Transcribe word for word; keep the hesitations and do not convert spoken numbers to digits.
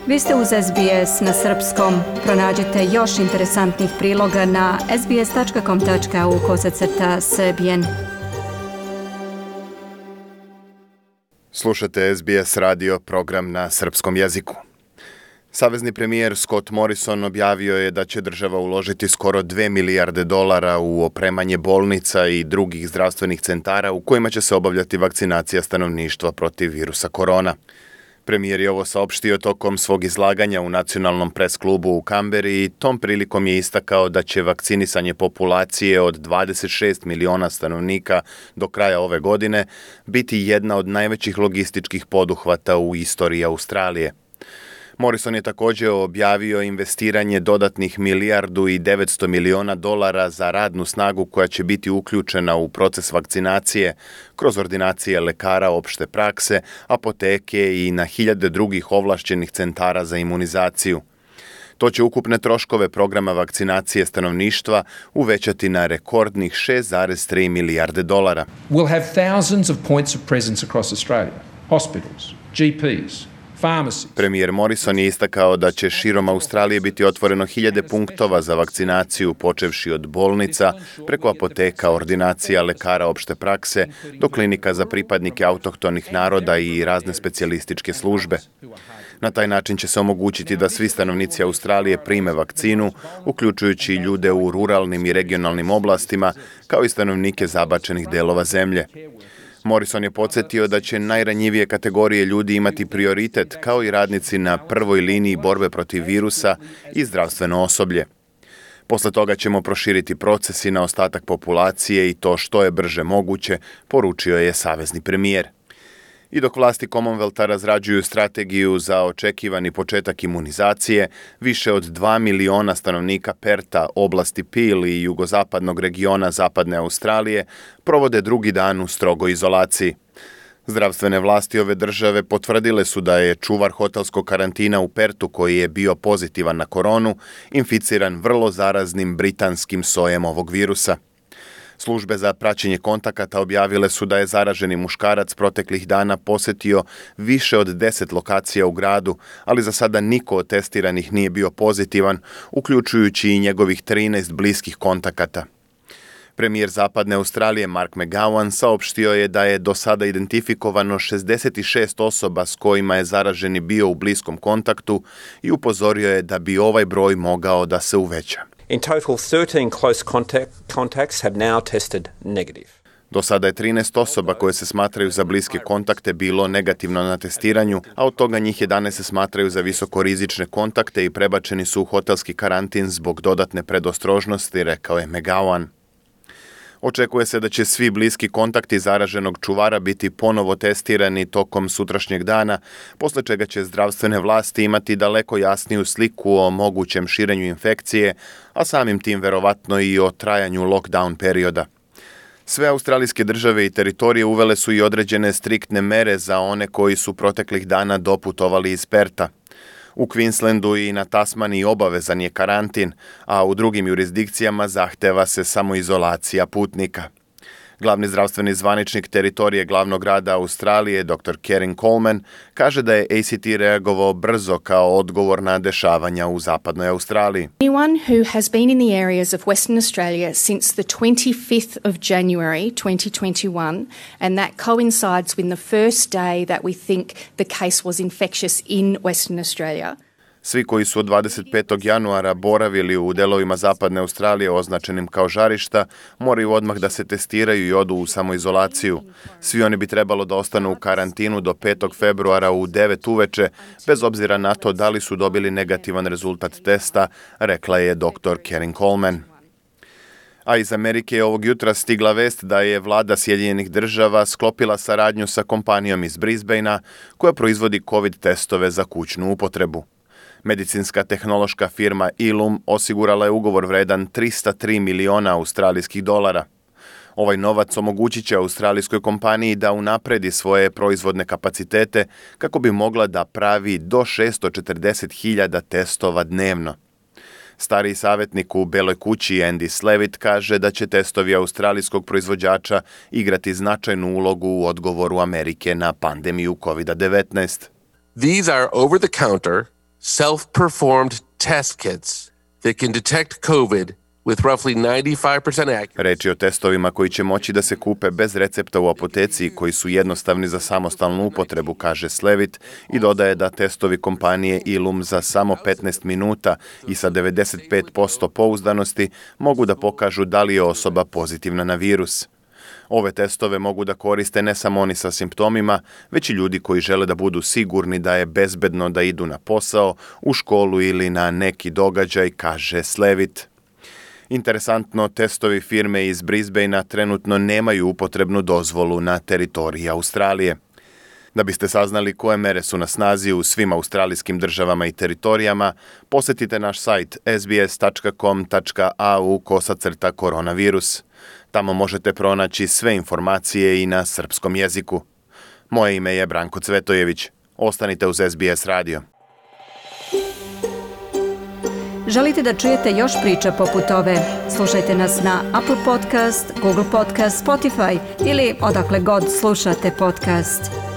Vi ste uz S B S na srpskom. Pronađite još interesantnih priloga na sbs.com.au kosacrta srbijen. Slušate S B S radio, program na srpskom jeziku. Savezni premijer Scott Morrison objavio je da će država uložiti skoro dve milijarde dolara u opremanje bolnica i drugih zdravstvenih centara u kojima će se obavljati vakcinacija stanovništva protiv virusa korona. Premijer je ovo saopštio tokom svog izlaganja u nacionalnom pres klubu u Kamberi i tom prilikom je istakao da će vakcinisanje populacije od dvadeset šest miliona stanovnika do kraja ove godine biti jedna od najvećih logističkih poduhvata u istoriji Australije. Morrison je također objavio investiranje dodatnih milijardu i devetsto miliona dolara za radnu snagu koja će biti uključena u proces vakcinacije kroz ordinacije lekara opšte prakse, apoteke i na hiljade drugih ovlašćenih centara za imunizaciju. To će ukupne troškove programa vakcinacije stanovništva uvećati na rekordnih šest zarez tri milijarde dolara. We'll have thousands of points of presence across Australia, hospitals, G Ps, Premijer Morrison je istakao da će širom Australije biti otvoreno hiljade punktova za vakcinaciju, počevši od bolnica, preko apoteka, ordinacija, lekara opšte prakse, do klinika za pripadnike autohtonih naroda i razne specijalističke službe. Na taj način će se omogućiti da svi stanovnici Australije prime vakcinu, uključujući ljude u ruralnim i regionalnim oblastima, kao i stanovnike zabačenih delova zemlje. Morrison je podsjetio da će najranjivije kategorije ljudi imati prioritet, kao i radnici na prvoj liniji borbe protiv virusa i zdravstveno osoblje. Posle toga ćemo proširiti proces i na ostatak populacije i to što je brže moguće, poručio je savezni premijer. I dok vlasti Commonwealtha razrađuju strategiju za očekivani početak imunizacije, više od dva miliona stanovnika Perta, oblasti Peel i jugozapadnog regiona zapadne Australije provode drugi dan u strogoj izolaciji. Zdravstvene vlasti ove države potvrdile su da je čuvar hotelskog karantina u Pertu, koji je bio pozitivan na koronu, inficiran vrlo zaraznim britanskim sojem ovog virusa. Službe za praćenje kontakata objavile su da je zaraženi muškarac proteklih dana posetio više od deset lokacija u gradu, ali za sada niko od testiranih nije bio pozitivan, uključujući i njegovih trinaest bliskih kontakata. Premijer zapadne Australije Mark McGowan saopštio je da je do sada identifikovano šezdeset šest osoba s kojima je zaraženi bio u bliskom kontaktu i upozorio je da bi ovaj broj mogao da se uveća. In total, thirteen close contact, contacts have now tested negative. Do sada je trinaest osoba koje se smatraju za bliske kontakte bilo negativno na testiranju, a od toga njih jedanaest se smatraju za visokorizične kontakte i prebačeni su u hotelski karantin zbog dodatne predostrožnosti, rekao je McGowan. Očekuje se da će svi bliski kontakti zaraženog čuvara biti ponovo testirani tokom sutrašnjeg dana, posle čega će zdravstvene vlasti imati daleko jasniju sliku o mogućem širenju infekcije, a samim tim verovatno i o trajanju lockdown perioda. Sve australijske države i teritorije uvele su i određene striktne mere za one koji su proteklih dana doputovali iz Perta. U Queenslandu i na Tasmaniji obavezan je karantin, a u drugim jurisdikcijama zahteva se samoizolacija putnika. Glavni zdravstveni zvaničnik teritorije glavnog grada Australije, doktor Karen Coleman, kaže da je A C T reagovao brzo kao odgovor na dešavanja u zapadnoj Australiji. Anyone who has been in the areas of Western Australia since the twenty-fifth of January twenty twenty-one, and that coincides with the first day that we think the case was infectious in Western Australia. Svi koji su od dvadeset petog januara boravili u delovima zapadne Australije označenim kao žarišta, moraju odmah da se testiraju i odu u samoizolaciju. Svi oni bi trebalo da ostanu u karantinu do petog februara u devet uveče, bez obzira na to da li su dobili negativan rezultat testa, rekla je doktor Karen Coleman. A iz Amerike je ovog jutra stigla vest da je vlada Sjedinjenih država sklopila saradnju sa kompanijom iz Brisbanea koja proizvodi COVID testove za kućnu upotrebu. Medicinska tehnološka firma Illum osigurala je ugovor vredan trista tri miliona australijskih dolara. Ovaj novac omogućit će australijskoj kompaniji da unapredi svoje proizvodne kapacitete kako bi mogla da pravi do šesto četrdeset hiljada testova dnevno. Stariji savjetnik u Beloj kući Andy Slavitt kaže da će testovi australijskog proizvođača igrati značajnu ulogu u odgovoru Amerike na pandemiju covid devetnaest. These are over-the-counter self-performed test kits that can detect COVID with roughly ninety-five percent accuracy. Reč je o testovima koji će moći da se kupe bez recepta u apoteci i koji su jednostavni za samostalnu upotrebu, kaže Slevit, i dodaje da testovi kompanije Illum za samo petnaest minuta i sa devedeset pet posto pouzdanosti mogu da pokažu da li je osoba pozitivna na virus. Ove testove mogu da koriste ne samo oni sa simptomima, već i ljudi koji žele da budu sigurni da je bezbedno da idu na posao, u školu ili na neki događaj, kaže Slevit. Interesantno, testovi firme iz Brisbanea trenutno nemaju upotrebnu dozvolu na teritoriji Australije. Da biste saznali koje mere su na snazi u svim australijskim državama i teritorijama, posetite naš sajt s b s tačka com tačka a u kosacrta koronavirus. Tamo možete pronaći sve informacije i na srpskom jeziku. Moje ime je Branko Cvetojević. Ostanite uz S B S radio. Želite da čujete još priča poput ove? Slušajte nas na Apple Podcast, Google Podcast, Spotify ili odakle god slušate podcast.